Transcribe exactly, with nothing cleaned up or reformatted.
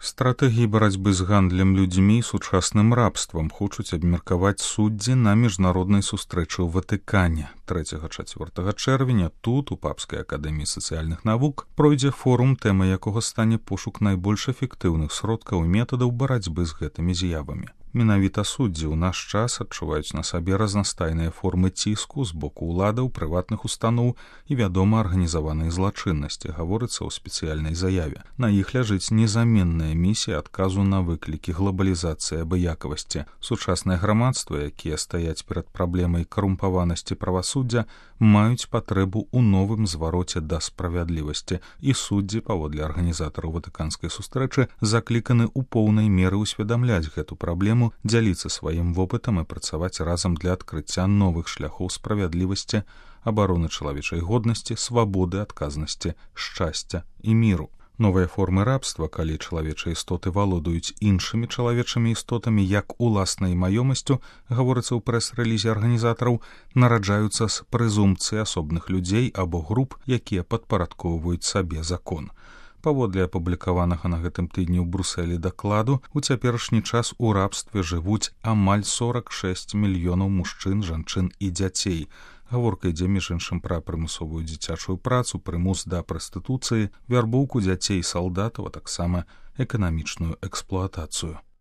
Стратэгіі барацьбы з гандлем людзьмі і сучасным рабствам хочуць абмеркаваць суддзі на міжнароднай сустрэчы ў Ватыкане. трэцяга-чацвёртага чэрвеня тут, у Папскай акадэміі сацыяльных навук, пройдзе форум, тэма якога стане пошук найбольш эфектыўных сродкаў і метадаў барацьбы з гэтымі з'явамі. Менавіта суддзі ў наш час адчуваюць на сабе разнастайныя формы ціску з боку ўладаў, прыватных устаноў і, вядома, арганізаванай злачыннасці, гаворыцца ў спецыяльнай заяве. На іх ляжыць незаменная місія адказу на выклікі глобалізацыі абыякавасці. Сучаснае грамадства, якія стаяць перад праблемай карумпаванасці правасуддзя, маюць патрэбу ў новым звароце да справядлівасці, і суддзі, паводле арганізатараў ватыканскай сустрэчы, закліканы ў поўнай меры ўсведамляць гэту праблему, дзяліцца сваім вопытам і працаваць разам для адкрыцця новых шляхоў справядлівасці, абароны чалавечай годнасці, свабоды, адказнасці, шчасця і міру. Новыя формы рабства, калі чалавечыя істоты валодаюць іншымі чалавечымі істотамі як уласнай маёмасцю, гаворыцца ў прэс-рэлізе арганізатараў, нараджаюцца з прэзумпцыі асобных людзей або груп, якія падпарадкоўваюць сабе закон. Паводле апублікаванага на гэтым тыдні ў Брусэлі дакладу, у цяперашні час у рабстве жывуць амаль сорак шэсць мільёнаў мужчын, жанчын і дзяцей. Гаворка ідзе, між іншым, пра прымусовую дзіцячую працу, прымус да прастытуцыі, вярбоўку дзяцей і салдатаў, а таксама эканамічную эксплуатацыю.